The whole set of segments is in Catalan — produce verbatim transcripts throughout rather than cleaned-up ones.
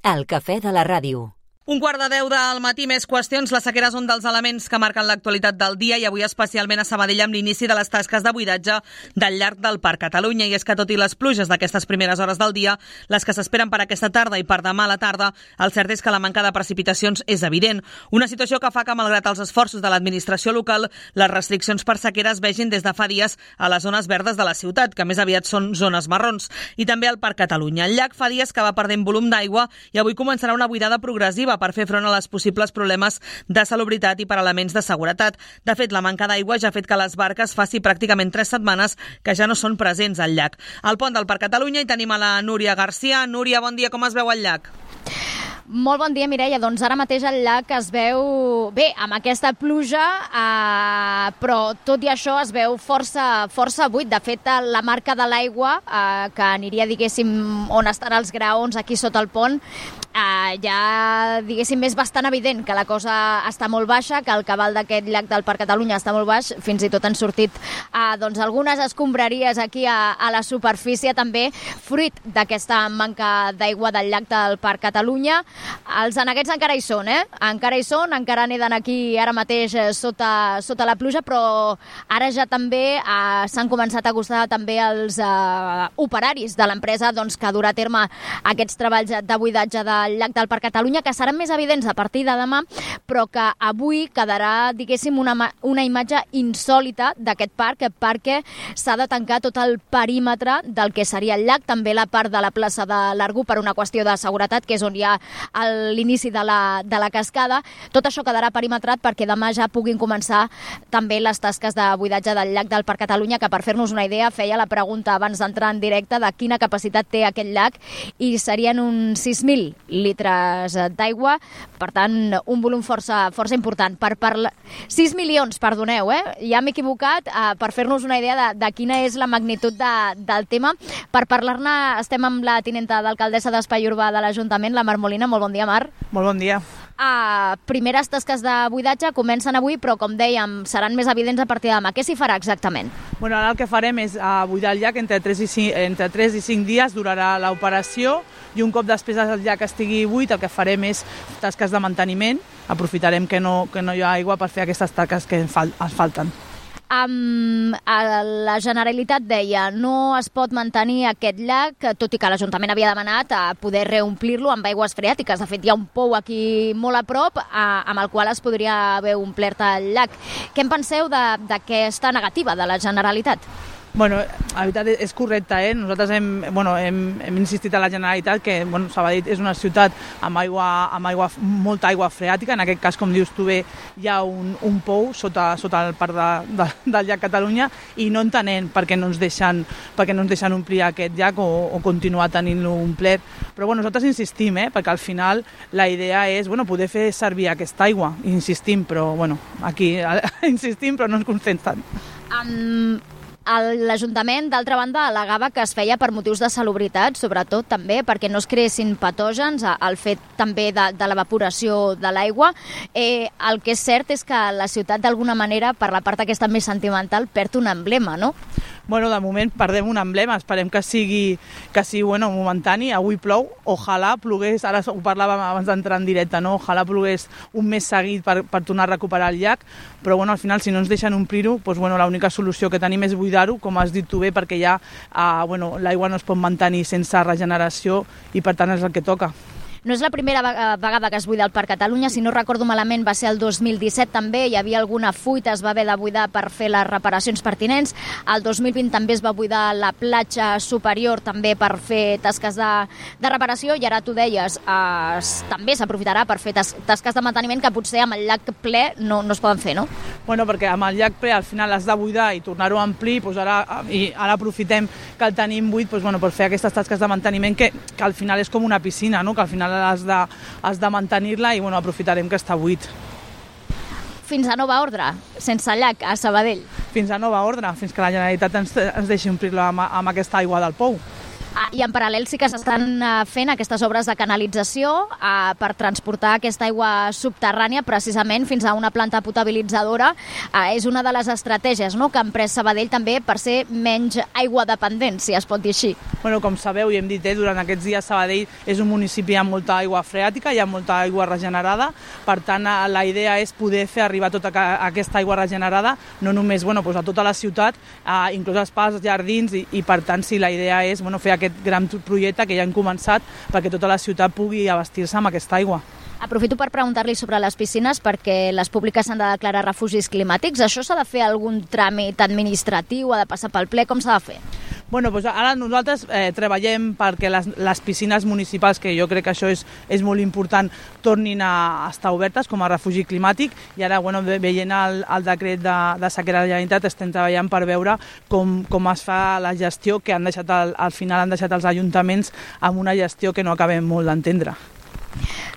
El cafè de la ràdio. Un quart de deu del matí, més qüestions. Les sequeres són dels elements que marquen l'actualitat del dia i avui especialment a Sabadell amb l'inici de les tasques de buidatge del llarg del Parc Catalunya. I és que tot i les pluges d'aquestes primeres hores del dia, les que s'esperen per aquesta tarda i per demà a la tarda, el cert és que la manca de precipitacions és evident. Una situació que fa que, malgrat els esforços de l'administració local, les restriccions per sequera es vegin des de fa dies a les zones verdes de la ciutat, que més aviat són zones marrons, i també al Parc Catalunya. El llac fa dies que va perdent volum d'aigua i avui començarà una buidada progressiva per fer front a les possibles problemes de salubritat i per elements de seguretat. De fet, la manca d'aigua ja ha fet que les barques faci pràcticament tres setmanes que ja no són presents al llac. Al pont del Parc Catalunya hi tenim a la Núria Garcia. Núria, bon dia, com es veu el llac? Molt bon dia, Mireia. Doncs ara mateix el llac es veu bé, amb aquesta pluja, eh, però tot i això es veu força, força buit. De fet, la marca de l'aigua, eh, que aniria, diguéssim, on estan els graons, aquí sota el pont, eh, ja, diguéssim, és bastant evident que la cosa està molt baixa, que el cabal d'aquest llac del Parc Catalunya està molt baix. Fins i tot han sortit eh, doncs, algunes escombraries aquí a, a la superfície, també fruit d'aquesta manca d'aigua del llac del Parc Catalunya. Els aneguets encara hi són, eh? Encara hi són, encara neden aquí ara mateix sota, sota la pluja, però ara ja també eh, s'han començat a acostar també els eh, operaris de l'empresa doncs, que durà a terme aquests treballs de buidatge del llac del Parc Catalunya, que seran més evidents a partir de demà, però que avui quedarà, diguéssim, una, una imatge insòlita d'aquest parc, perquè s'ha de tancar tot el perímetre del que seria el llac, també la part de la plaça de l'Argú per una qüestió de seguretat, que és on hi ha a l'inici de la, de la cascada. Tot això quedarà perimetrat perquè demà ja puguin començar també les tasques de buidatge del llac del Parc Catalunya, que per fer-nos una idea feia la pregunta abans d'entrar en directe de quina capacitat té aquest llac i serien uns sis mil litres d'aigua, per tant un volum força, força important. Per parla... sis milions, perdoneu, eh? ja m'he equivocat, eh, per fer-nos una idea de, de quina és la magnitud de, del tema. Per parlar-ne estem amb la tinenta d'alcaldessa d'Espai Urbà de l'Ajuntament, la Mar Molina. Molt bon dia, Mar. Molt bon dia. Uh, primeres tasques de buidatge comencen avui, però com dèiem, seran més evidents a partir de demà. Què s'hi farà exactament? Bueno, ara el que farem és uh, buidar el llac entre tres i cinc, entre tres i cinc dies, durarà l'operació, i un cop després el llac estigui buit, el que farem és tasques de manteniment. Aprofitarem que no, que no hi ha aigua per fer aquestes tasques que ens falten. Um, la Generalitat deia no es pot mantenir aquest llac, tot i que l'Ajuntament havia demanat a poder reomplir-lo amb aigües freàtiques. De fet, hi ha un pou aquí molt a prop a, amb el qual es podria haver omplert el llac. Què en penseu d'aquesta negativa de la Generalitat? Bueno, la veritat és correcte, eh? Nosaltres hem, bueno, hem, hem insistit a la Generalitat que bueno, Sabadell és una ciutat amb, aigua, amb aigua, molta aigua freàtica. En aquest cas, com dius tu bé, hi ha un, un pou sota, sota el parc de, de, del llac Catalunya i no entenem per què no ens deixen, per què no ens deixen omplir aquest llac o, o continuar tenint-lo omplert. Però bueno, nosaltres insistim, eh? Perquè al final la idea és bueno, poder fer servir aquesta aigua. Insistim, però bueno, aquí insistim però no ens consenten. Um... L'Ajuntament, d'altra banda, al·legava que es feia per motius de salubritat, sobretot també perquè no es creessin patògens, el fet també de, de l'evaporació de l'aigua. Eh, el que és cert és que la ciutat, d'alguna manera, per la part aquesta més sentimental, perd un emblema, no? Bueno, de moment perdem un emblema, esperem que sigui, que sigui bueno, momentani. Avui plou, ojalà plogués, ara ho parlàvem abans d'entrar en directe, no? Ojalà plogués un mes seguit per, per tornar a recuperar el llac, però bueno, al final si no ens deixen omplir-ho, doncs, bueno, l'única solució que tenim és buidar-ho, com has dit tu bé, perquè ja eh, bueno, l'aigua no es pot mantenir sense regeneració i per tant és el que toca. No és la primera vegada que es buida el Parc Catalunya, si no recordo malament va ser el dos mil disset també, hi havia alguna fuita, es va haver de buidar per fer les reparacions pertinents. El dos mil vint també es va buidar la platja superior també per fer tasques de, de reparació i ara tu deies, eh, també s'aprofitarà per fer tas, tasques de manteniment que potser amb el llac ple no, no es poden fer, no? Bueno, perquè amb el llac ple al final has de buidar i tornar-ho a omplir, doncs ara, i ara aprofitem que el tenim buit doncs, bueno, per fer aquestes tasques de manteniment que, que al final és com una piscina, no? Que al final has de, has de mantenir-la i bueno, aprofitarem que està buit. Fins a nova ordre, sense llac, a Sabadell. Fins a nova ordre, fins que la Generalitat ens, ens deixi omplir-la amb, amb aquesta aigua del pou. I en paral·lel sí que s'estan fent aquestes obres de canalització eh, per transportar aquesta aigua subterrània precisament fins a una planta potabilitzadora. Eh, és una de les estratègies, no?, que ha emprès Sabadell també per ser menys aigua dependent, si es pot dir així. Bueno, com sabeu i hem dit, eh, durant aquests dies Sabadell és un municipi amb molta aigua freàtica, hi ha molta aigua regenerada, per tant la idea és poder fer arribar tota aquesta aigua regenerada, no només bueno, doncs a tota la ciutat, eh, inclús als parcs, jardins, i, i per tant sí, la idea és bueno, fer aquest gran projecte que ja hem començat perquè tota la ciutat pugui abastir-se amb aquesta aigua. Aprofito per preguntar-li sobre les piscines perquè les públiques s'han de declarar refugis climàtics. Això s'ha de fer algun tràmit administratiu, ha de passar pel ple, com s'ha de fer? Bueno, doncs ara nosaltres eh, treballem perquè les, les piscines municipals, que jo crec que això és, és molt important, tornin a estar obertes com a refugi climàtic, i ara bueno, veient el, el decret de, de sequera de la Generalitat estem treballant per veure com, com es fa la gestió, que han deixat el, al final han deixat els ajuntaments amb una gestió que no acabem molt d'entendre.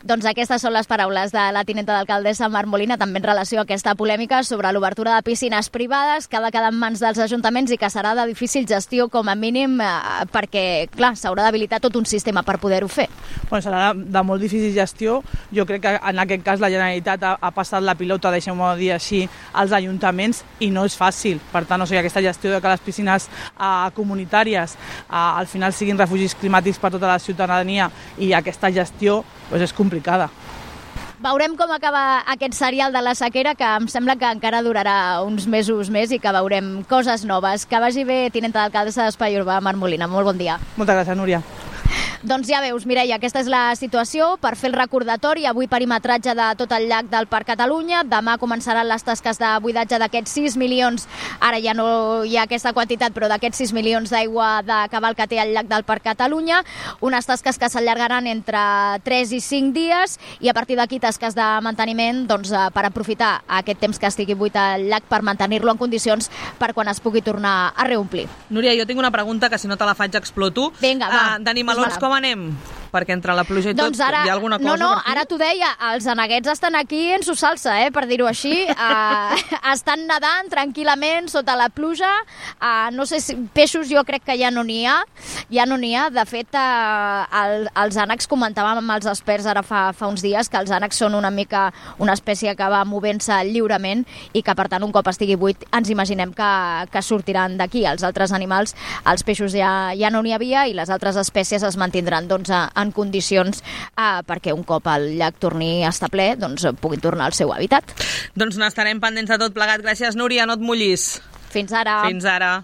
Doncs aquestes són les paraules de la tinenta d'alcaldessa Mar Molina, també en relació a aquesta polèmica sobre l'obertura de piscines privades que ha de quedar en mans dels ajuntaments i que serà de difícil gestió com a mínim eh, perquè, clar, s'haurà d'habilitar tot un sistema per poder-ho fer. Bueno, serà de molt difícil gestió. Jo crec que en aquest cas la Generalitat ha, ha passat la pilota, deixem-ho dir així, als ajuntaments i no és fàcil. Per tant, o sigui, aquesta gestió de que les piscines eh, comunitàries eh, al final siguin refugis climàtics per tota la ciutadania i aquesta gestió doncs és complicada. Veurem com acaba aquest serial de la sequera, que em sembla que encara durarà uns mesos més i que veurem coses noves. Que vagi bé, tinenta d'alcaldessa d'Espai Urbà, Mar Molina. Molt bon dia. Moltes gràcies, Núria. Doncs ja veus, Mireia, aquesta és la situació. Per fer el recordatori, avui perimetratge de tot el llac del Parc Catalunya. Demà començaran les tasques de buidatge d'aquests sis milions, ara ja no hi ha aquesta quantitat, però d'aquests sis milions d'aigua de cabal que té el llac del Parc Catalunya. Unes tasques que s'allargaran entre tres i cinc dies i a partir d'aquí tasques de manteniment doncs, per aprofitar aquest temps que estigui buit el llac per mantenir-lo en condicions per quan es pugui tornar a reomplir. Núria, jo tinc una pregunta que si no te la faig exploto. Vinga, va. Uh, D'animalons com anem? Perquè entre la pluja i tot doncs ara, hi ha alguna cosa no, no, per aquí? ara t'ho deia, els aneguets estan aquí en su salsa, eh, per dir-ho així. Uh, estan nedant tranquil·lament sota la pluja. Uh, no sé si peixos jo crec que ja no n'hi ha. Ja no n'hi ha. De fet, uh, el, els ànecs, comentàvem amb els experts ara fa, fa uns dies, que els ànecs són una mica una espècie que va movent-se lliurement i que, per tant, un cop estigui buit, ens imaginem que, que sortiran d'aquí. Els altres animals, els peixos ja, ja no n'hi havia i les altres espècies es mantindran doncs, en condicions eh, perquè un cop el llac torni a estar ple doncs, puguin tornar al seu hàbitat. Doncs n'estarem pendents de tot plegat. Gràcies, Núria, no et mullis. Fins ara. Fins ara.